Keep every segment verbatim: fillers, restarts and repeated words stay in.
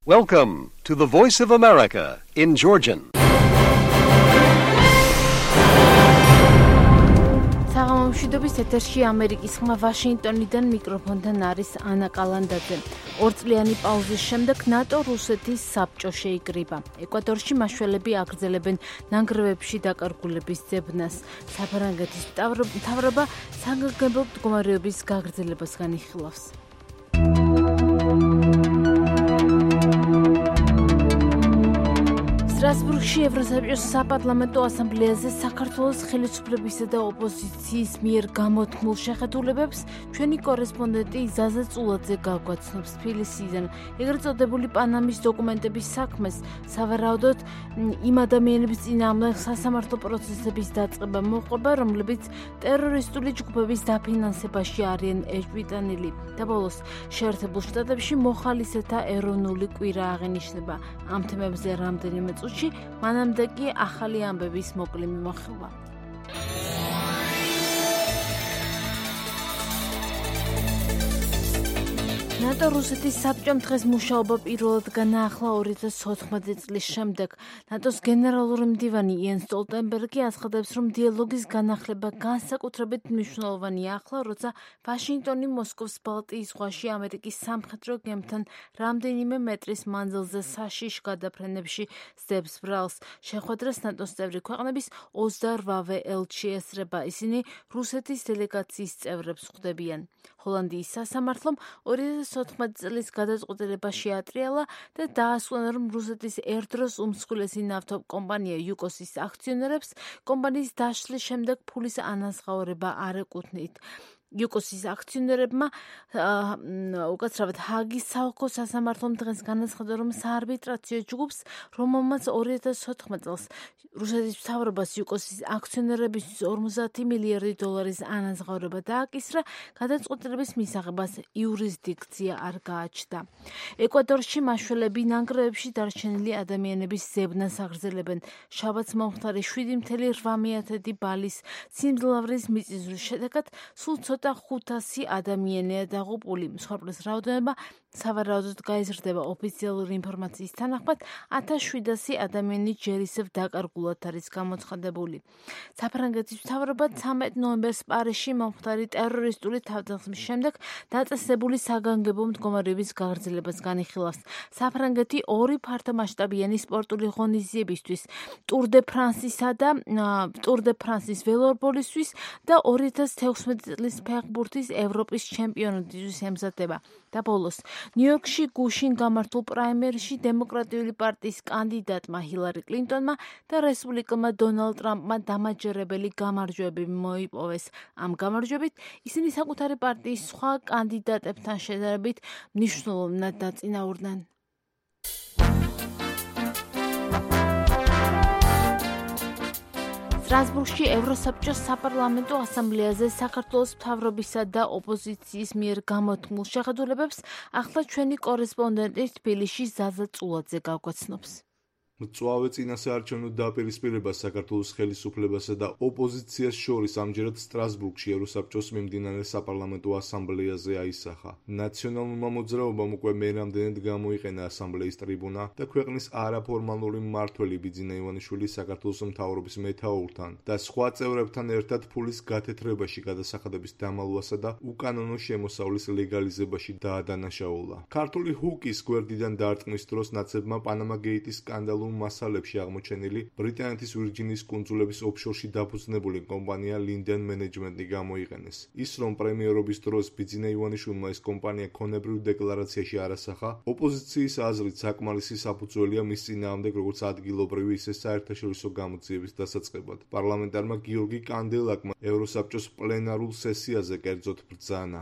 Welcome to the Voice of America in Georgian. საღამომშვიდობის ეთერში ამერიკის ხმა ვაშინგტონიდან მიკროფონთან არის ანა კალანდაძე. ორწლიანი პაუზის შემდეგ ნატო რუსეთის საბჭო შეიკრიბა. ეკვადორში მაშველები აგრძელებენ ნანგრევებში დაკარგულების ძებნას. საფრანგეთის მთავრობა საგანგებო მდგომარეობის გაგრძელებას განიხილავს. სტრასბურგში ევროსაბჭოს საპარლამენტო ასამბლეაზე საქართველოს ხელისუფლებისა და ოპოზიციის მიერ გამოთქმულ შეხედულებებს ჩვენი კორესპონდენტი ზაზა წულაძე გაგვაცნობს თბილისიდან. ეგრეთ წოდებული პანამის დოკუმენტების საქმეს სავარაუდოდ იმ ადამიანების წინააღმდეგ სასამართლო პროცესების დაწყება მოყვება, რომლებიც ტერორისტული ჯგუფების დაფინანსებაში არიან ეჭვიტანილი. და ბოლოს შეერთებულ შტატებში მოხალისეთა ეროვნული კვირა აღინიშნება. ამ თემებზე რამდენიმე წუთში მანამდე კი ახალი ამბების მოკლე მიმოხილვა. ნატო რუსეთის საბჭომ დღეს მუშაობა პირველად განაახლა ორი ათას ოთხმოცი წლის შემდეგ. ნატოს გენერალური მდივანი იენს სტოლტენბერგი აცხადებს, რომ დიალოგის განახლება განსაკუთრებით მნიშვნელოვანია ახლა, როცა ვაშინგტონი მოსკოვს ბალტიის ზღვაში ამერიკის სამხედრო გემთან რამდენიმე მეტრის მანძილზე საშიშ გადაფრენებში სდებს ბრალს. შეხვედრას ნატოს წევრი ქვეყნების ოცდაოთხ ელჩი ესწრება. ისინი რუსეთის დელეგაციის წევრებს ხვდებიან. ჰოლანდიის სასამართლომ ორი ათას ოთხმოცი წლის გადაწყვეტილება შეატრიალა და დაასკვნა, რომ რუსეთის ერთდროს უმსხვილესი ნავთობკომპანია იუკოსის აქციონერებს კომპანიის დაშლის შემდეგ ფულის ანაზღაურება არ ეკუთვნით. იუკოსის აქციონერებმა უკაცრავად ჰააგის საოლქო სასამართლომ დღეს განაცხადა, რომ საარბიტრაციო ჯგუფს, რომელმაც ორი ათას ოთხმოცი წელს რუსეთის მთავრობას იუკოსის აქციონერებისთვის ორმოცდაათი მილიარდი დოლარის ანაზღაურება დააკისრა, გადაწყვეტილების მისაღებას იურისდიქცია არ გააჩნდა. ეკვადორში მაშველები ნანგრევებში დარჩენილი ადამიანების ზებნას აგრძელებენ. შაბათს მომხდარი შვიდი წუთი რვა მეათედი ბალის სიმძლავრის მიწისძვრის შედეგად სულ ცოტა ხუთასი ადამიანია დაღუპული. მსხვერპლის რაოდენობა სავარაუდოდ გაიზრდება. ოფიციალური ინფორმაციის თანახმად ათას შვიდასი ადამიანი ჯერისევ დაკარგულად არის გამოცხადებული. საფრანგეთის მთავრობა ცამეტ ნოემბერს პარიზში მომხდარი ტერორისტული თავდასხმის შემდეგ დაწესებული საგანგებო მდგომარეობის გაგრძელებას განიხილავს. საფრანგეთი ორი ფართომასშტაბიანი სპორტული ღონისძიებისთვის, ტურ დე ფრანსისა და ტურ დე ფრანსის ველორბოლისთვის და ორი ათას თექვსმეტი წლის ფეხბურთის ევროპის ჩემპიონატისთვის ემზადება. და ბოლოს ნიუ-იორკში გუშინ გამართულ პრაიმერიში დემოკრატიული პარტიის კანდიდატმა ჰილარი კლინტონმა და რესპუბლიკელმა დონალდ ტრამპმა დამაჯერებელი გამარჯვებები მოიპოვეს. ამ გამარჯვებით ისინი საკუთარი პარტიის სხვა კანდიდატებთან შედარებით მნიშვნელოვნად დაწინაურდნენ. სტრასბურგში ევროსაბჭოს საპარლამენტო ასამბლეაზე საქართველოს მთავრობისა და ოპოზიციის მიერ გამოთქმულ შეხედულებებს ახლა ჩვენი კორესპონდენტი თბილისში ზაზა წულაძე გაგვაცნობს. მწვავე წინასაარჩევნო დაპირისპირებას საქართველოს ხელისუფლებასა და ოპოზიციას შორის ამჯერად სტრასბურგში ევროსაბჭოს მიმდინარე საპარლამენტო ასამბლეაზე აისახა. ნაციონალურმა მოძრაობამ უკვე მერამდენედ გამოიყენა ასამბლეის ტრიბუნა და ქვეყნის არაფორმალური მმართველი ბიძინა ივანიშვილი საქართველოს მთავრობის მეთაურთან და სხვა წევრებთან ერთად ფულის გათეთრებაში გადასახადების დამალვასა და უკანონო შემოსავლის ლეგალიზებაში დაადანაშაულა. ქართული ჰუკის გვერდიდან დარტყმის დროს ნაცებმა პანამა გეიტის სკანდალურ მასალებში აღმოჩენილი ბრიტანეთის ვირჯინიის კუნძულების ოფშორში დაფუძნებული კომპანია Linden Management-ი გამოიყენეს. ის რომ პრემიერობის დროს ბიძინა ივანიშვილმა ეს კომპანია ქონებრივ დეკლარაციაში არასახა, ოპოზიციის აზრით საკმარისი საფუძველია მის წინააღმდეგ როგორც ადგილობრივი, ისე საერთაშორისო გამოძიების დასაწყებად. პარლამენტარმა გიორგი კანდელაკმა ევროსაბჭოს პლენარულ სესიაზე კერძოდ ბრძანა.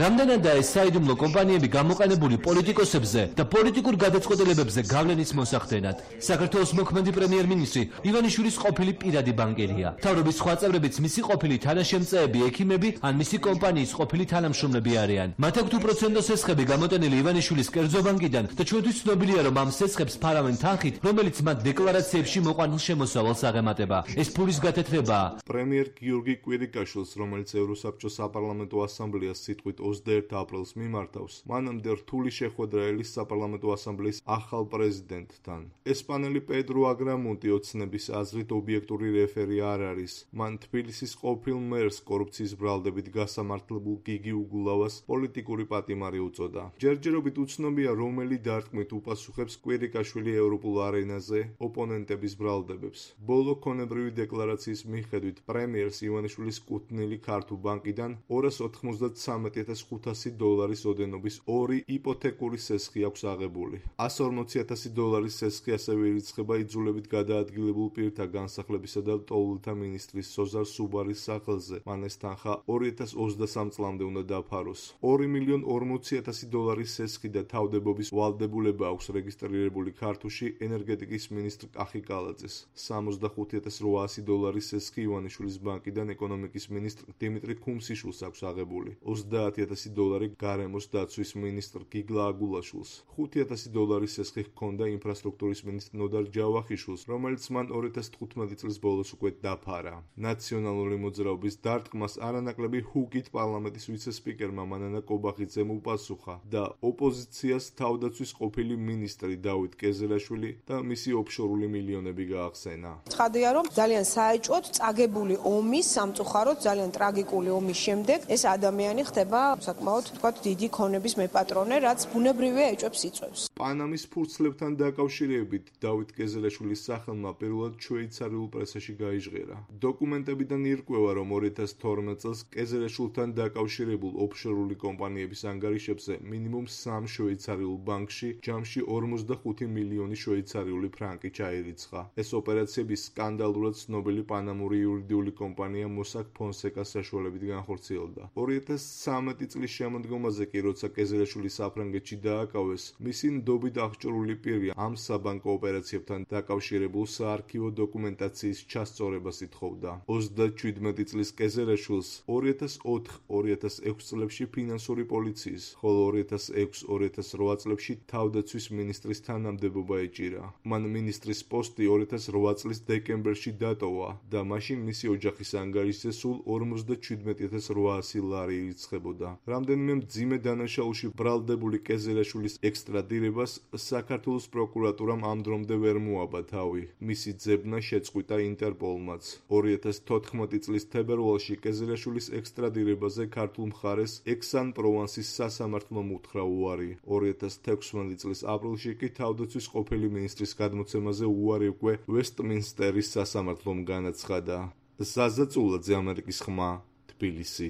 რამდენადაა ეს საიდუმლო კომპანიები გამოყენებული პოლიტიკოსებზე და პოლიტიკურ გადაწყვეტილებებზე გავლენის მოსახდენად. საქართველოს მოქმედი პრემიერ-მინისტრი ივანიშვილის ყოფილი პირადი ბანკერია. მთავრობის სხვა წევრებიც მისი ყოფილი თანაშემწეები, ექიმები ან მისი კომპანიის ყოფილი თანამშრომლები არიან. მათ აქვთ უპროცენტო სესხები გამოტენილი ივანიშვილის კერძო ბანკიდან და ჩვენთვის ცნობილია, რომ ამ სესხებს ფარავენ თანხით, რომელიც მათ დეკლარაციებში მოყვანილ შემოსავალს აღემატება. ეს ფულის გათეთრებაა. პრემიერ გიორგი კვირიკაშვილს, რომელიც ევროსაბჭოს საპარლამენტო ასამბლეას სიტყვით ოცდაერთი აპრილს მიმართავს, მანამდე რთული შეხვედრა ელის საპარლამენტო ასამბლეის ახალ პრეზიდენტთან. ესპანელი პედრო აგრამუნტი ოცნების აზრით ობიექტური რეფერი არ არის. მან თბილისის ყოფილ მერს კორუფციის ბრალდებით გასამართლებულ გიგი უგულავას პოლიტიკური პატიმარი უწოდა. ჯერჯერობით უცნობია, რომელი დარტყმით უპასუხებს კვირიკაშვილი ევროპულ არენაზე ოპონენტების ბრალდებებს. ბოლო ქონებრივი დეკლარაციის მიხედვით, პრემიერს ივანიშვილის კუთვნილი ქართულ ბანკიდან ორას ოთხმოცდათსამეტი ათას ხუთასი დოლარის ოდენობის ორი იპოთეკური სესხი აქვს აღებული. ასი ორმოცი ათასი დოლარის სესხი ასევე ირიცხება იძულებით გადაადგილებულ პირთა განსახლებისა და ლტოლვილთა მინისტრის სოზარ სუბარის სახელზე. მან ეს თანხა ორი ათას ოცდასამ წლამდე უნდა დაფაროს. ორი მილიონი ორმოცი ათასი დოლარის სესხი და თავდებობის ვალდებულება აქვს რეგისტრირებული ქართულში ენერგეტიკის მინისტრ კახი კალაძეს. სამოცდახუთი ათას რვაასი დოლარის სესხი ივანიშვილის ბანკიდან ეკონომიკის მინისტრ დიმიტრი ქუმსიშვილს აქვს აღებული. ოცდაათი ათასი დოლარი გარემოს დაცვის მინისტრ გიგლა აგულაშვილს. ხუთი ათასი დოლარის სესხი ჰქონდა ინფრასტრუქტურის მინისტრ ნოდარ ჯავახიშვილს, რომელიც მან ორი ათას თხუთმეტი წლის ბოლოს უკვე დაფარა. ნაციონალური მოძრაობის დარტყმას არანაკლები ჰუკით პარლამენტის ვიცე-სპიკერმა მანანა კობახიძემ უპასუხა და ოპოზიციას თავდაცვის ყოფილი მინისტრი დავით კეზელაშვილი და მისი ოფშორული მილიონები გაახსენა. ცხადია, რომ ძალიან საეჭვოდ წაგებული ომის, სამწუხაროდ ძალიან ტრაგიკული ომის შემდეგ ეს ადამიანი ხდება საკმაოდ თქვათ დიდი ქონების მეპატრონე, რაც ბუნებრივია ეჭვებს იწვევს. პანამის ფურცლებთან დაკავშირებით დავით კეზელაშვილის სახელმა პირველად შვეიცარიულ პრესაში გაიჟღერა. დოკუმენტებიდან ირკვევა, რომ ორი ათას თორმეტ წელს კეზელაშვილთან დაკავშირებულ ოფშორული კომპანიების ანგარიშებზე მინიმუმ სამ შვეიცარიულ ბანკში ჯამში ორმოცდახუთი მილიონი შვეიცარიული ფრანკი ჩაირიცხა. ეს ოპერაციები სკანდალურად ცნობილი პანამური იურიდიული კომპანია მოსაკ ფონსეკას საშუალებით განხორციელდა. ორი ათას ცხრამეტი წლის შემოდგომაზე კი, როცა კეზელაშვილი საფრანგეთში დააკავეს, მისი ნდობით აღჭურვილი პირი ამ საბანკო ოპერაციებთან დაკავშირებულ საარქივო დოკუმენტაციის ჩასწორებას ითხოვდა. ოცდაჩვიდმეტი წლის კეზელაშვილს ორი ათას ოთხ ორი ათას ექვს წლებში ფინანსური პოლიციის, ხოლო ორი ათას ექვს ორი ათას რვა წლებში თავდაცვის მინისტრის თანამდებობა ეჭირა. მან მინისტრის პოსტი ორი ათას რვა წლის დეკემბერში დატოვა და მაშინ მისი ოჯახის ანგარიშზე სულ ორმოცდაჩვიდმეტი ათას რვაასი ლარი ირიცხებოდა. რამდენიმე მძიმე დანაშაულში ბრალდებული კეზელაშვილის ექსტრადირებას საქართველოს პროკურატურამ ამ დრომდე ვერ მოაბა თავი. მისი ძებნა შეწყვიტა ინტერპოლმაც. ორი ათას თოთხმეტი წლის თებერვალში კეზელაშვილის ექსტრადირებაზე ქართულ მხარეს ექსან-პროვანსის სასამართლომ უთხრა უარი. ორი ათას თექვსმეტი წლის აპრილში კი თავდაცვის ყოფილი მინისტრის გადმოცემაზე უარი უკვე ვესტმინსტერის სასამართლომ განაცხადა. ზაზა წულაძე, ამერიკის ხმა, თბილისი.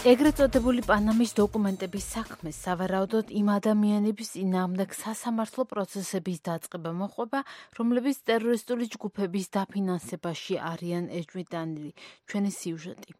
ეგრეთ წოდებული პანამის დოკუმენტების საქმე სავარაუდოდ იმ ადამიანების წინააღმდეგ სასამართლო პროცესების დაწყება მოყვება, რომლებიც ტერორისტული ჯგუფების დაფინანსებაში არიან ეჭვმიტანილი. ჩვენი სიუჟეტი.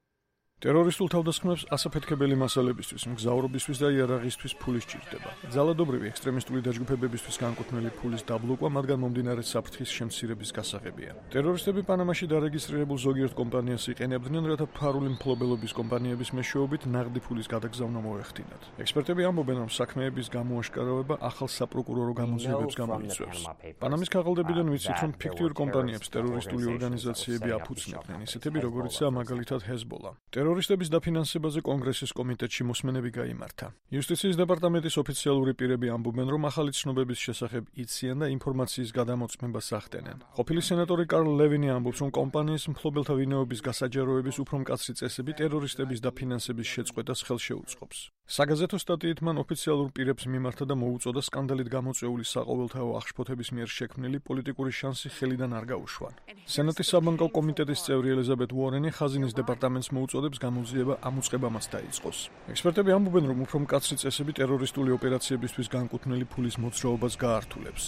ტერორისტულ თავდასხმებს ასაფეთქებელი მასალებისთვის, მგზავრობისთვის და იარაღისთვის ფული სჭირდება. ძალადობრივი ექსტრემისტული დაჯგუფებებისთვის განკუთვნილი ფულის დაბლოკვა მათგან მომდინარე საფრთხის შემცირების გასაღებია. ტერორისტები პანამაში დარეგისტრირებულ ზოგიერთ კომპანიას იყენებდნენ, რათა ფარული მფლობელობის კომპანიების მეშვეობით ნაღდი ფულის გადაგზავნა მოეხდინათ. ექსპერტები ამბობენ, რომ საქმეების გამოაშკარავება ახალ საპროკურორო გამოძიებებს გამოიწვევს. პანამის ქაღალდებიდან ვიცით, რომ ფიქტიურ კომპანიებს ტერორისტული ორგანიზაციები აფუძნებდნენ, ისეთები როგორიცაა მაგალითად ჰეზბოლა. ტერორისტების დაფინანსებაზე კონგრესის კომიტეტში მოსმენები გაიმართა. იუსტიციის დეპარტამენტის ოფიციალური პირები ამბობენ, რომ ახალი ცნობების შესახებ იციან და ინფორმაციის გადამოწმებას ახდენენ. ყოფილი სენატორი კარლ ლევინი ამბობს, რომ კომპანიის მფლობელთა ვინაობის გასაჯაროების უფრო მკაცრი წესები ტერორისტების დაფინანსების შეწყვეტას ხელშეუწყობს. საგაზეთო სტატიით მან ოფიციალურ პირებს მიმართა და მოუწოდა სკანდალით გამოწვეული საყოველთაო აღშფოთების მიერ შექმნილი პოლიტიკური შანსი ხელიდან არ გაუშვან. სენატის საბანკო კომიტეტის წევრი ელიზაბეთ უორენი ხაზინის დეპარტამენტს მოუწოდებს გამოძიება ამ უწყებამაც დაიწყოს. ექსპერტები ამბობენ, რომ უფრო მკაცრი წესები ტერორისტული ოპერაციებისთვის განკუთვნილი ფულის მოძრაობას გაართულებს.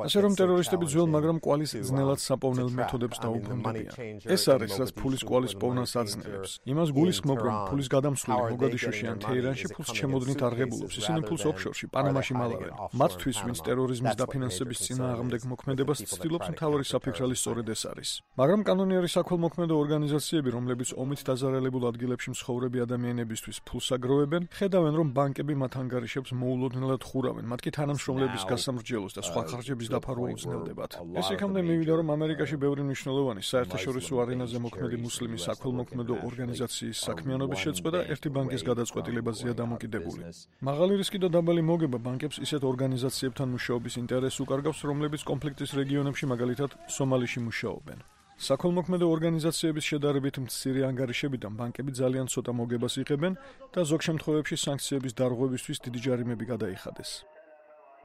ასე რომ ტერორისტები ძველ, მაგრამ კვალის ძნელად საპოვნელ მეთოდებს დაუბრუნდებიან. ეს არის, რაც ფულის კვალის პოვნას აძნელებს. იმას გულისხმობ, რომ ფულის გადამსვლელი მოგადიშოში ან თეირანში ფულს ჩემოდნით არღებულობს. ისინი ფულს ოქშორში, პანამაში მალავენ. მათთვის, ვინც ტერორიზმის დაფინანსების წინააღმდეგ მოქმედებას ცდილობს, მთავარი საფიქრალი სწორედ ეს არის. მაგრამ კანონიერი საქველმოქმედო ორგანიზაციები, რომლებიც ომით დაზარალებულ ადგილებში მცხოვრები ადამიანებისთვის ფულს აგროვებენ, ხედავენ, რომ ბანკები მათ ანგარიშებს მოულოდნელად ხურავენ, მათ კი თანამშრომლების გასამრჯელოს და სხვა ხარჯების დაფარვა უზნელდებათ. ეს იქამდე მივიდა, რომ ამერიკაში ბევრი მნიშვნელოვანი საერთაშორისო არენაზე მოქმედი მუსლიმი საქველმოქმედო ორგანიზაციის საქმიანობის შეწყვეტა ერთი ბანკის გადაწყვეტილებაზეა დამოკიდებული. მაღალი რისკი და დაბალი მოგება ბანკებს ისეთ ორგანიზაციებთან მუშაობის ინტერესს უკარგავს, რომლებიც კონფლიქტის რეგიონებში, მაგალითად, სომალიში მუშაობენ. საქველმოქმედო ორგანიზაციების შედარებით მცირე ანგარიშებიდან ბანკები ძალიან ცოტა მოგებას იღებენ და ზოგ შემთხვევებში სანქციების დარღვევისთვის დიდი ჯარიმები გადაიხადეს.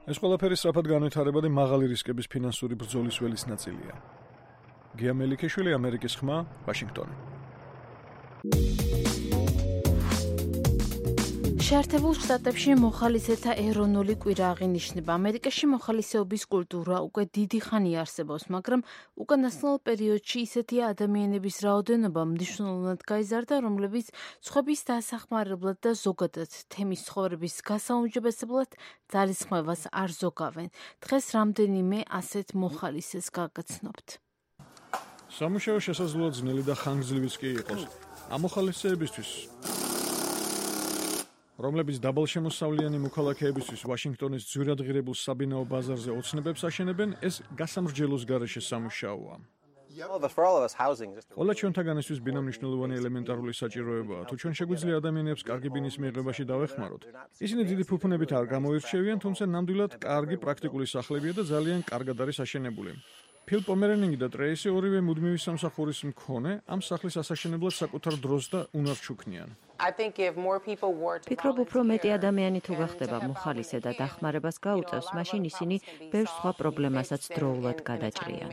ეს ყველაფერი სწრაფად განვითარებადი მაღალი რისკების ფინანსური ბრძოლის ველის ნაწილია. გია მელიქიშვილი, ამერიკის ხმა, ვაშინგტონი. შეერთებულ შტატებში მოხალისეთა ეროვნული კვირა აღინიშნება. ამერიკაში მოხალისეობის კულტურა უკვე დიდი ხანია არსებობს, მაგრამ უკანასკნელ პერიოდში ისეთი ადამიანების რაოდენობა მნიშვნელოვნად გაიზარდა, რომლებიც სხვების დასახმარებლად და ზოგადად თემის ცხოვრების გასაუმჯობესებლად ძალისხმევას არ ზოგავენ. დღეს რამდენიმე ასეთ მოხალისეს გაგაცნობთ. სამუშაო შესაძლოა ძნელი და ხანგრძლივიც კი იყოს. ამ მოხალისეებისთვის, რომლებიც დაბალშემოსავლიანი მოქალაქეებისთვის ვაშინგტონის ძვირად ღირებულ საბინაო ბაზარზე ოცნებებს აშენებენ, ეს გასამრჯელოს გარეშე სამუშაოა. ყველა ჩვენთაგანისთვის ბინა მნიშვნელოვანი ელემენტარული საჭიროებაა. თუ ჩვენ შეგვიძლია ადამიანებს კარგი ბინის მიღებაში დავეხმაროთ, ისინი დიდი ფუფუნებით არ გამოირჩევიან, თუმცა ნამდვილად კარგი პრაქტიკული სახლებია და ძალიან კარგად არის აშენებული. ფილ პომერენინგი და ტრეისი ორივე მუდმივი სამსახურის მქონე ამ სახლის ასაშენებლად საკუთარ დროს და უნარს ჩუქნიან. ფიქრობ, უფრო მეტი ადამიანი თუ გახდება მოხალისე და დახმარებას გაუწევს, მაშინ ისინი ბევრ სხვა პრობლემასაც დროულად გადაჭრიან.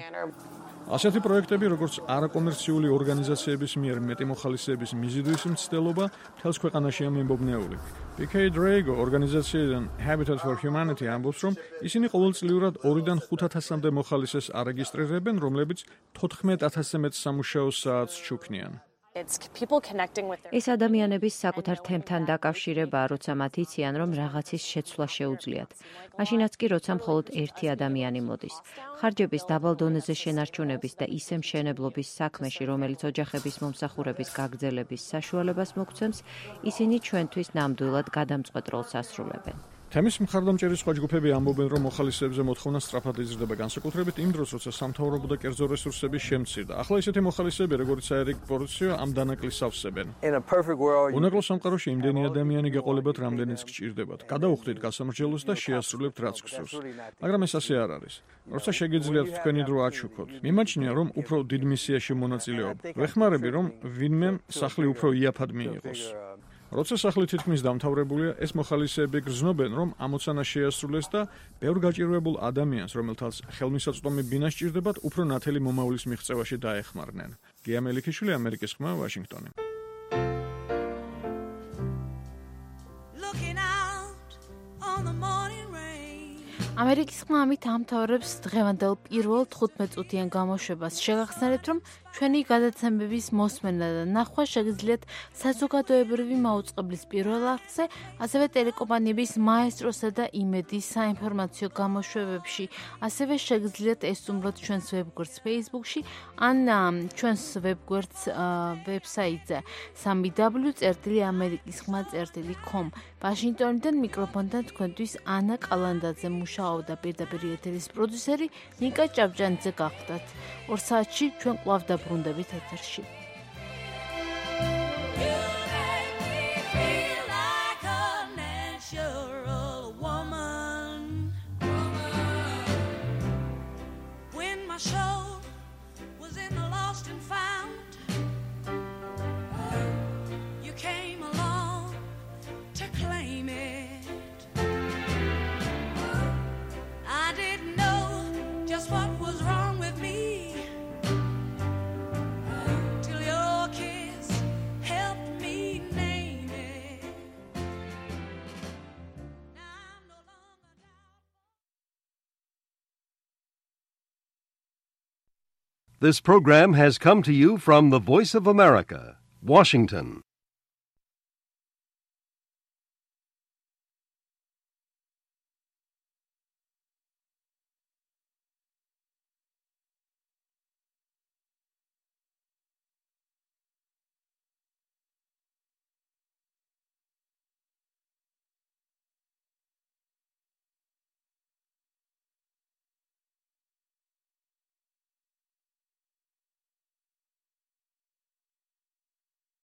ასეთი პროექტები, როგორც არაკომერციული ორგანიზაციების მიერ მეტი მოხალისეების მიზიდვის მცდელობა, მთელს ქვეყანაშია მიმობნეული. პი კეი დრეიგო ორგანიზაციიდან Habitat for Humanity ამბობს, რომ ისინი ყოველწლიურად ორიდან ხუთ ათასამდე მოხალისეს არეგისტრირებენ, რომლებიც თოთხმეტ ათასზე მეტ სამუშაო საათს ჩუქნიან. ეს ადამიანების საკუთარ თემთან დაკავშირებაა, როცა მათ იციან, რომ რაღაცის შეცვლა შეუძლიათ. მაშინაც კი, როცა მხოლოდ ერთი ადამიანი მოდის. ხარჯების დაბალ დონეზე შენარჩუნების და ისე მშენებლობის საქმეში, რომელიც ოჯახების მომსახურების გაგრძელების საშუალებას მოგცემს, ისინი ჩვენთვის ნამდვილად გადამწყვეტ როლს ასრულებენ. თემის მხარდამჭერი სხვა ჯგუფები ამბობენ, რომ მოხალისეებზე მოთხოვნა სწრაფად იზრდება, განსაკუთრებით იმ დროს, როცა სამთავრობო და კერძო რესურსები შემცირდა. ახლა ისეთი მოხალისეები, როგორც ერიკ პორციო, ამ დანაკლისს ავსებენ. უნაკლო სამყაროში იმდენი ადამიანი გეყოლებათ, რამდენიც გჭირდებათ. გადაუხდით გასამრჯელოს და შეასრულებთ რაც გსურს. მაგრამ ეს ასე არ არის. როცა შეგიძლიათ თქვენი დრო აჩუქოთ, მიმაჩნია, რომ უფრო დიდ მისიაში მონაწილეობ. ვეხმარები, რომ ვინმე სახლი უფრო იაფად მიიღოს. როცა სახლი თითქმის დამთავრებულია, ეს მოხალისეები გრძნობენ, რომ ამოცანა შეასრულეს და ბევრ გაჭირვებულ ადამიანს, რომელთაც ხელმისაწვდომი ბინა სჭირდებათ, უფრო ნათელი მომავლის მიღწევაში დაეხმარნენ. გია მელიქიშვილი, ამერიკის ხმა, ვაშინგტონი. ამერიკის ხმა ამით ამთავრებს დღევანდელ პირველ თხუთმეტწუთიან გამოშვებას. შეგახსენებთ, რომ ჩვენი გადაცემების მოსმენა და ნახვა შეგიძლიათ საზოგადოებრივი მაუწყებლის პირველ არხზე, ასევე ტელეკომპანიების მაესტროსა და იმედის საინფორმაციო გამოშვებებში. ასევე შეგიძლიათ ესწუმროთ ჩვენს ვებგვერდს Facebook-ში ან ჩვენს ვებგვერდს ვებსაიტზე სამი დაბლიუ წერტილი ამერიკის ხმა წერტილი com. ვაშინგტონიდან მიკროფონთან თქვენთვის ანა კალანდაძე მუშაობდა, პირდაპირ ეთერის პროდიუსერი ნიკა ჭავჭანიძე გახლდათ. ორ საათში ჩვენ კვლავ დაბრუნდებით ეთერში. What was wrong with me till This program has come to you from the Voice of America, Washington.